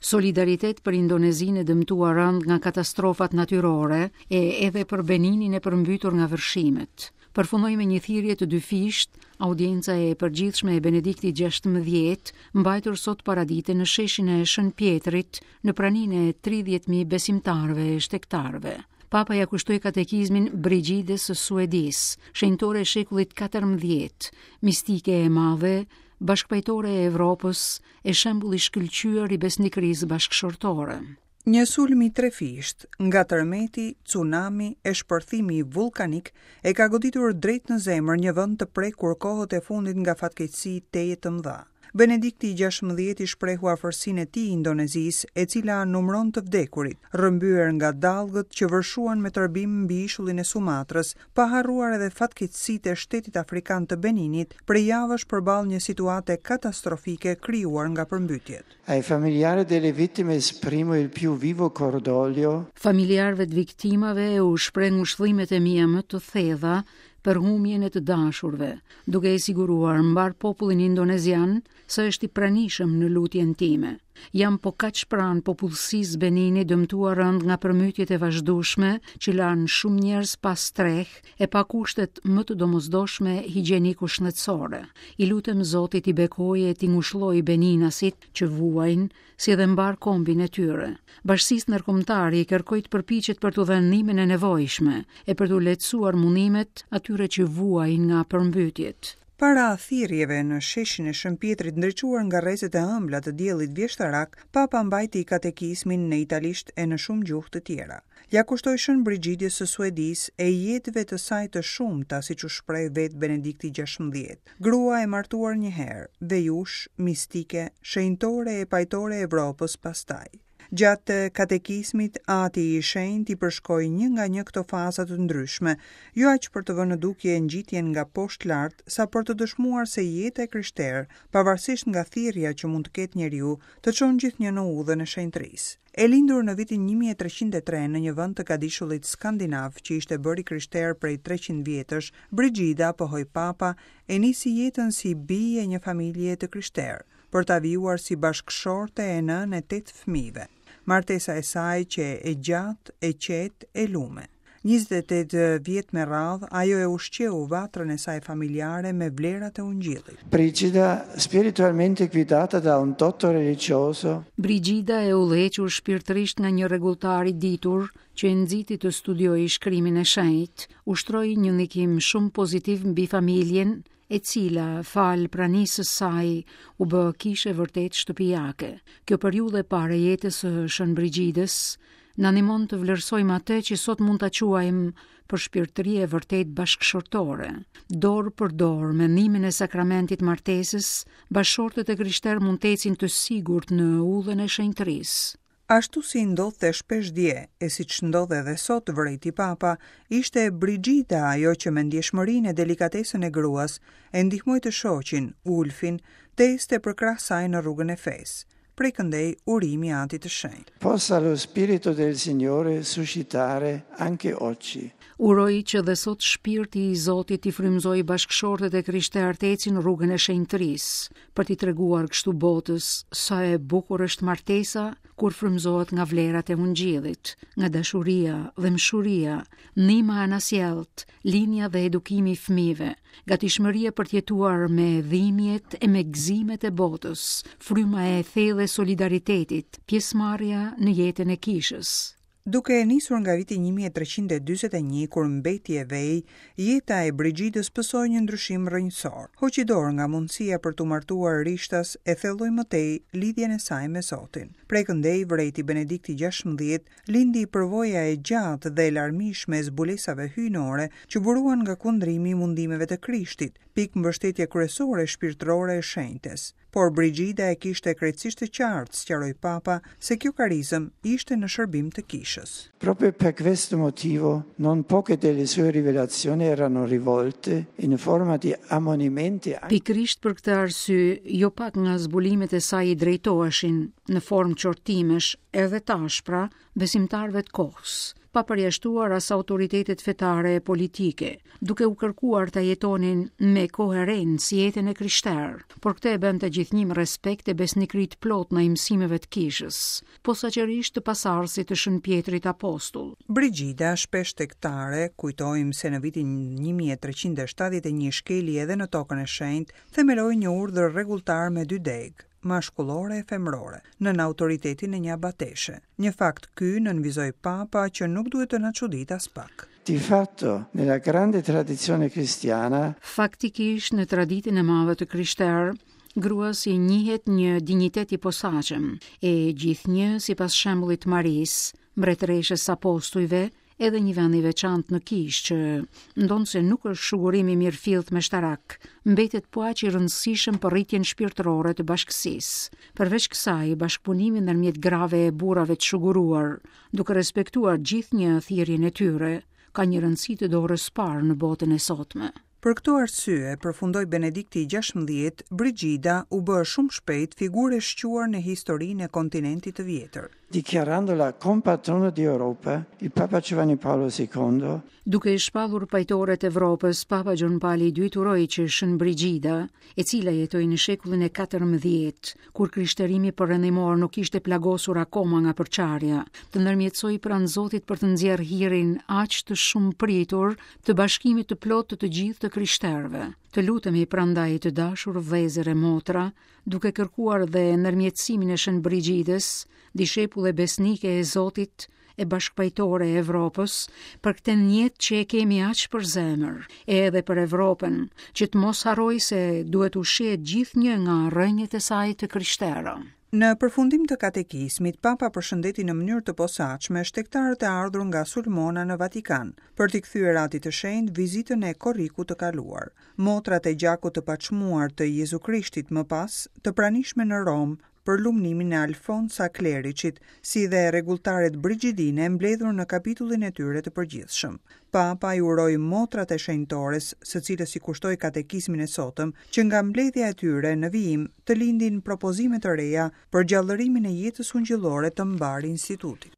Solidaritet për Indonezinë e dëmtuar rëndë nga katastrofat natyrore e edhe për Beninin e përmbytur nga vërshimet. Përfundoi me një thirrje të dyfishtë audienca e përgjithshme e Benediktit XVI, mbajtur sot paradite në sheshin e Shën Pjetrit, në praninë e 30.000 besimtarëve e shtegtarëve. Papa ia kushtoi katekizmin Brigidës së Suedisë, shenjtore e shekullit 14, mistike e madhe, bashkëpajtore e Evropës e shembull i shkëlqyer i besnikërisë bashkëshortore. Një sulm i trefishtë, nga tërmeti, cunami e shpërthimi vullkanik, e ka goditur drejt në zemër një vend të prekur kohët e fundit nga fatkeqësi tejet të mëdha. Benedikti i XVI i shprehu afërsinë e tij Indonezisë, e cila numëron të vdekurit, rrëmbyer nga dallgët që vërshuan me tërbim mbi ishullin e Sumatrës, pa harruar edhe fatkeqësitë e shtetit afrikan të Beninit, prej javësh përballë një situate katastrofike krijuar nga përmbytjet. Ai familiari delle vittime esprimo il più vivo cordoglio. Familjarëve të viktimave u shpreh ngushëllimet e mia më të thella për humbjen e të dashurve, duke e siguruar mbarë popullin indonezian se është i pranishëm në lutjen time. Jam po kaq pranë popullsisë Beninit dëmtuar rëndë nga përmbytjet e vazhdueshme që lanë shumë njerëz pa strehë e pa kushtet më të domosdoshme higjieniko-shëndetësore. I lutem Zotit t'i bekojë e t'i ngushëllojë beninasit që vuajnë, si edhe mbarë kombin e tyre. Bashkësisë ndërkombëtare i kërkoj të përpiqet për t'u dhënë ndihmën e nevojshme e për t'u lehtësuar mundimet atyre që vuajnë nga përmbytjet. Para thirrjeve në sheshin e Shën Pjetrit ndriçuar nga rrezet e ëmbla të diellit vjeshtarak, Papa mbajti katekizmin në italisht e në shumë gjuhë të tjera. Ia kushtoi Shën Brixhidës së Suedisë e jetëve të saj të shumta, siç u shpreh vetë Benedikti XVI. Grua e martuar një herë, vejushë, mistike, shenjtore e pajtore e Evropës pastaj. Gjatë katekizmit, Ati i Shenjtë i përshkoi një nga një këto faza të ndryshme, jo aq për të vënë në dukje ngjitjen nga poshtë lart, sa për të dëshmuar se jeta e krishterë, pavarësisht nga thirrja që mund të ketë njeriu, të çon gjithnjë në udhën e shenjtërisë. E lindur në vitin 1303 në një vend të gadishullit skandinav që ishte bërë i krishterë prej 300 vjetësh, Brixhida, pohoi Papa, e nisi jetën si bijë e një familjeje të krishterë. për ta vijuar si bashkëshorte e nënë e tetë fëmijëve. Martesa e saj qe e gjatë, e qetë, e lume. 28 vjet me radhë, ajo e ushqeu vatrën e saj familjare me vlerat e Ungjillit. Brigida, spiritualmente guidata da un dotto religioso. Brigida e udhëhequr shpirtërisht nga një rregulltar i ditur që e nxiti të studiojë shkrimin e shenjtë, ushtroi një ndikim shumë pozitiv mbi familjen e cila, falë pranisë së saj, u bë kishë e vërtetë shtëpiake. Kjo periudhë e parë e jetës së Shën Brixhidës na ndihmon të vlerësojmë atë që sot mund ta quajmë përshpirtëri e vërtetë bashkëshortore. Dorë për dorë, me ndihmën e sakramentit të martesës, bashkëshortët e krishterë mund të ecin të sigurt në udhën e shenjtërisë. Ashtu si ndodhte shpesh dje, e siç ndodh edhe sot, vërejti Papa, ishte Brixhida ajo që me ndjeshmërinë e delikatesën e gruas, e ndihmoi të shoqin, Ulfin, të ecte përkrah saj në rrugën e fesë. Prej këndej urimi i Atit të Shenjtë. Possa lo Spirito del Signore suscitare anche oggi. Uroj që dhe sot Shpirti i Zotit t'i frymëzojë bashkëshortët e krishterë të ecin rrugën e shenjtërisë, për t'i treguar kështu botës sa e bukur është martesa kur frymëzohet nga vlerat e ungjillit, nga dashuria, dhembshuria, ndihma e anasjelltë, lindja dhe edukimi i fëmijëve, gatishmëria për të jetuar me dhimbjet e me gëzimet e botës, fryma e thellë e solidaritetit, pjesëmarrja në jetën e kishës. Duke e nisur nga viti 1341, kur mbeti e vej, jeta e Brixhidës pësoi një ndryshim rrënjësor. Hoqi dorë nga mundësia për t'u martuar rishtas e thelloi më tej lidhjen e saj me Zotin. Prej këndej, vërejti Benedikti XVI, lindi përvoja e gjatë dhe e larmishme e zbulesave hyjnore që buruan nga kundrimi i mundimeve të Krishtit, pikë mbështetje kryesore shpirtërore e shenjtes. Por Brixhida e kishte krejtësisht të qartë, sqaroi Papa, se kjo karizëm ishte në shërbim të Kishës. Proprio per questo motivo, non poche delle sue rivelazioni erano rivolte in forma di ammonimenti. Pikërisht për këtë arsye, jo pak nga zbulimet e saj i drejtoheshin, në formë qortimesh, edhe të ashpra, besimtarëve të kohës. pa përjashtuar as autoritetet fetare e politike, duke u kërkuar ta jetonin me koherencë jetën e krishterë, por këtë e bënte gjithnjë me respekt e besnikëri të plotë ndaj mësimeve të kishës, posaçërisht të pasardhësit të Shën Pjetrit Apostull. Brigida, shpesh shtegtare, kujtojmë se në vitin 1371 shkeli edhe në Tokën e Shenjtë, themeloi një urdhër rregulltar me dy degë, mashkullore e femërore, nën autoritetin e një abateshe. Një fakt ky, nënvizoi Papa, që nuk duhet të na çuditë aspak. Di fatto, nella grande tradizione cristiana, Faktikisht, në traditën e madhe të krishterë, gruas i njihet një dinjitet i posaçëm, e gjithnjë sipas shembullit të Marisë, mbretëreshës së apostujve, edhe një vend i veçantë në kishë që, ndonëse nuk është shugurim i mirëfilltë meshtarak, mbetet po aq i rëndësishëm për rritjen shpirtërore të bashkësisë. Përveç kësaj, bashkëpunimi ndërmjet grave e burrave të shuguruar, duke respektuar gjithnjë thirrjen e tyre, ka një rëndësi të dorës së parë në botën e sotme. Për këto arsye, përfundoi Benedikti i XVI, Brigida u bë shumë shpejt figurë e shquar në historinë e kontinentit të vjetër. Dichiarandola compatrona di Europa, il Papa Giovanni Paolo II Duke e shpallur pajtore të Evropës, Papa Gjon Pali i II uroi që Shën Brigida, e cila jetoi në shekullin e 14, kur krishterimi perëndimor nuk ishte plagosur akoma nga përçarja, të ndërmjetësojë pranë Zotit për të nxjerrë hirin aq të shumëpritur të bashkimit të plotë të të gjithë të krishterëve. Të lutemi prandaj të dashur vëllezër e motra, duke kërkuar dhe ndërmjetësimin e Shën Brigidës, dishepulle besnike e Zotit e bashkëpajtore e Evropës, për këtë mjet që e kemi aq për zemër, e edhe për Evropën, që të mos harrojë se duhet ushqehet gjithnjë nga rrënjët e saj të krishtera. Në përfundim të katekizmit, Papa përshëndeti në mënyrë të posaçme shtegtarët e ardhur nga Sulmona në Vatikan, për t'i kthyer Atit të Shenjtë vizitën e korrikut të kaluar. Motrat e gjakut të paçmuar të Jezu Krishtit më pas, të pranishme në Romë për lumnimin e Alfonsa Kleriçit, si dhe rregulltaret brixhidine mbledhur në kapitullin e tyre të përgjithshëm. Papa i uroi motrat e shenjtores, së cilës i kushtoi katekizmin e sotëm, që nga mbledhja e tyre në vijim të lindin propozime të reja për gjallërimin e jetës ungjillore të mbarë institutit.